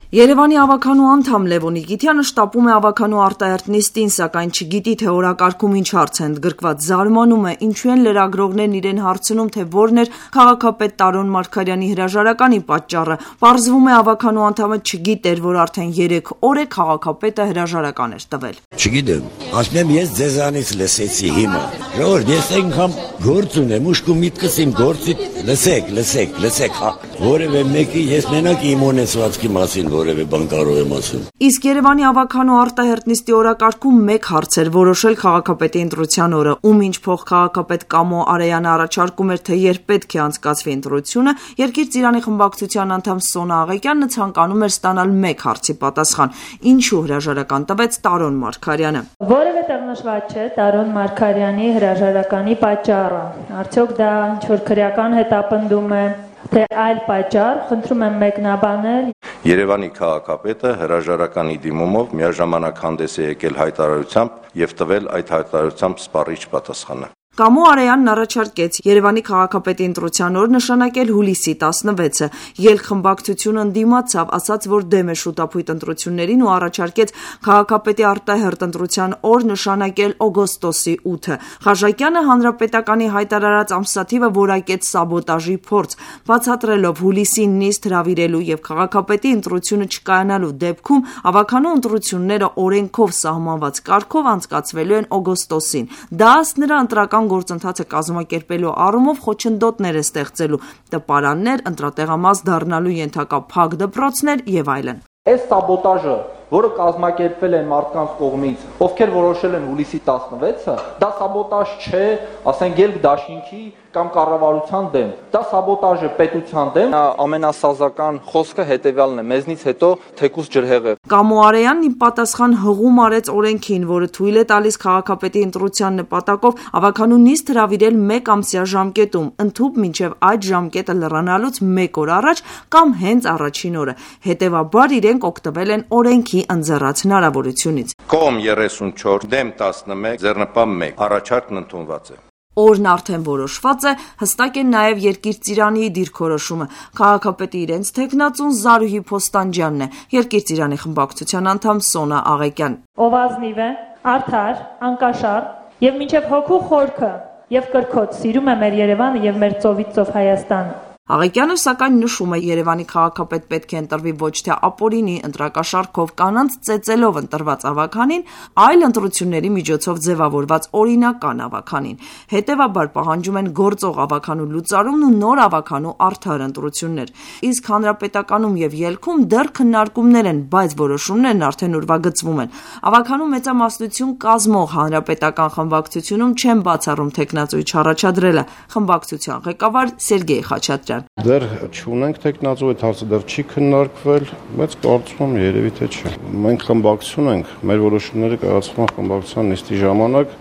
Երևանի ավականու անդամ Լևոն Նիկիտյանը շտապում է ավականու արտահերթ նիստին, սակայն չգիտի, թե օրակարգում ինչ հարց է ընդգրկված, զարմանում է, ինչու են լրագրողներն իրեն հարցնում, թե որն էր քաղաքապետ Տարոն Մարգարյանի հրաժարականի պատճառը։ Պարզվում է, ավականու անդամը չգիտեր, որ արդեն 3 օր է քաղաքապետը հրաժարական էր տվել։ Չգիտեմ, ասեմ ես ձեզանից լսեցի հիմա։ Ժողովուրդ, ես այնքան գործ ունեմ, ուշք ու միտքս իմ գործի լսեք, որևէ մեկի ես մենակ իմ ունեցվածքի մասին որևէ բան կարող եմ ասել։ Իսկ Երևանի ավականու արտահերթ նիստի օրակարգում մեկ հարց էր որոշել քաղաքապետի ընտրության օրը, ում ինչ փոխքաղաքապետ Կամո Արեյանը առաջարկում էր, թե երբ պետք է անցկացվի ընտրությունը, Երկիր Ծիրանի խմբակցության անդամ Սոնա Աղեկյանը ցանկանում էր ստանալ մեկ հարցի պատասխան. ինչու հրաժարական տվեց Տարոն Մարգարյանը։ Որևէ տեղ նշված չէ Տարոն Մարգարյանի հրաժարականի պատճառը։ Արդյոք դա ինչ-որ քրեական հետապնդում է, թե այլ պատճառ, խնդրում եմ մեկնաբանել։ Երևանի քաղաքապետը հրաժարականի դիմումով միաժամանակ հանդես է եկել հայտարարությամբ եւ տվել այդ հայտարարությամբ սպառիչ պատասխանը։ Կամո Արեյանն առաջարկեց Երևանի քաղաքապետի ընտրության օր նշանակել հուլիսի 16-ը, ելք խմբակցությունը ընդդիմացավ, ասաց, որ դեմ է շուտափույթ ընտրություններին ու առաջարկեց քաղաքապետի արտահերթ ընտրության օր նշանակել օգոստոսի 8-ը։ Խաչակյանը հանրապետականի հայտարարած ամսաթիվը որակեց սաբոտաժի փորձ, բացատրելով հուլիսին նիստ հրավիրելու եւ քաղաքապետի ընտրությունը չկայանալու դեպքում ավականու ընտրությունները օրենքով սահմանված կարգով անցկացվելու են օգոստոսին։ Դա ըստ նրա ընտրական գործընթացը կազմակերպելու առումով խոչընդոտներ է ստեղծելու, տպարաններ, ընտրատեղամաս դառնալու ենթակա փակ դպրոցներ եւ այլն։ Այս սաբոտաժը, որը կազմակերպվել են մարդկանց կողմից, ովքեր որոշել են հուլիսի 16-ը, դա սաբոտաժ չէ, ասենք ելք դաշինքի կամ կառավարության դեմ։ Դա սաբոտաժ է պետության դեմ։ Ամենասազական խոսքը հետեւյալն է. մեզնից հետո թեկուզ ջրհեղեղ։ Կամո Արեյանն ի պատասխան հղում արեց օրենքին, որը թույլ է տալիս քաղաքապետի ընտրության նպատակով ավականու նիստ հրավիրել 1 ամսյա ժամկետում, ընդհուպ մինչև այդ ժամկետը լրանալուց 1 օր առաջ կամ հենց առաջին օրը։ Հետևաբար իրենք օգտվել են օրենքի ընձեռած հնարավորությունից։ Կողմ 34, դեմ 11, ձեռնպահ 1, առաջարկն ընդունված է։ Օրն արդեն որոշված է, հստակ է նաև Երկիր Ծիրանի դիրքորոշումը։ Քաղաքապետի իրենց թեկնածուն Զարուհի Փոստանջյանն է, Երկիր Ծիրանի խմբակցության անդամ Սոնա Աղեկյան։ Ով ազնիվ է, արդար, անկաշառ եւ մինչեւ հոգու խորքը եւ կրքոտ սիրում է մեր Երևանը եւ մեր ծովից ծով Հայաստանը։ Աղեկյանը սակայն նշում է Երևանի քաղաքապետ պետք է ընտրվի ոչ թե ապօրինի ընտրակաշառքով կանանց ծեծելով ընտրված ավականին, այլ ընտրությունների միջոցով ձևավորված օրինական ավականին։ Հետևաբար պահանջում են գործող ավականու լուծարումն ու նոր ավականու արդար ընտրություններ։ Իսկ հանրապետականում եւ ելքում դեռ քննարկումներ են, բայց որոշումներն արդեն ուրվագծվում են։ Ավականու մեծամասնություն կազմող հանրապետական խմբակցությունում չեն բացառում թեկնածուի չառաջադրելը։ Խմբակցության ղեկավար Սերգեյ Խաչատրյան Դեռ չունենք թեկնածու, այդ հարցը դեռ չի քննարկվել, բայց կարծում եմ երևի թե չէ։ Մենք խմբակցություն ենք, մեր որոշումները կայացվում են խմբակցության նիստի ժամանակ,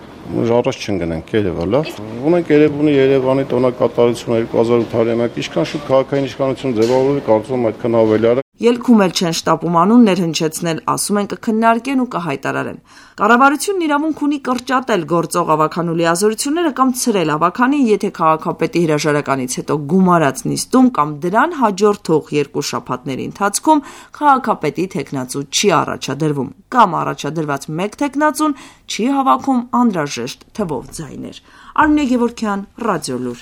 առաջ չընկնենք, երևալ, ունենք Երևանի տոնակատարությունը 2800-ը, ինչքան շուտ քաղաքային իշխանություն ձևավորվի, կարծում եմ այդքան ավելի արագ։ Ելքում էլ չեն շտապում անուններ հնչեցնել, ասում են կքննարկեն ու կհայտարարեն։ Կառավարությունն իրավունք ունի կրճատել գործող ավականու լիազորությունները կամ ցրել ավականին, եթե քաղաքապետի հրաժարականից հետո գումարած նիստում կամ դրան հաջորդող 2 շաբաթների ընթացքում քաղաքապետի թեկնածու չի առաջադրվում, կամ առաջադրված 1 թեկնածուն չի հավաքում անհրաժեշտ թվով ձայներ։ Արմինե Գևորգյան, Ռադիոլուր։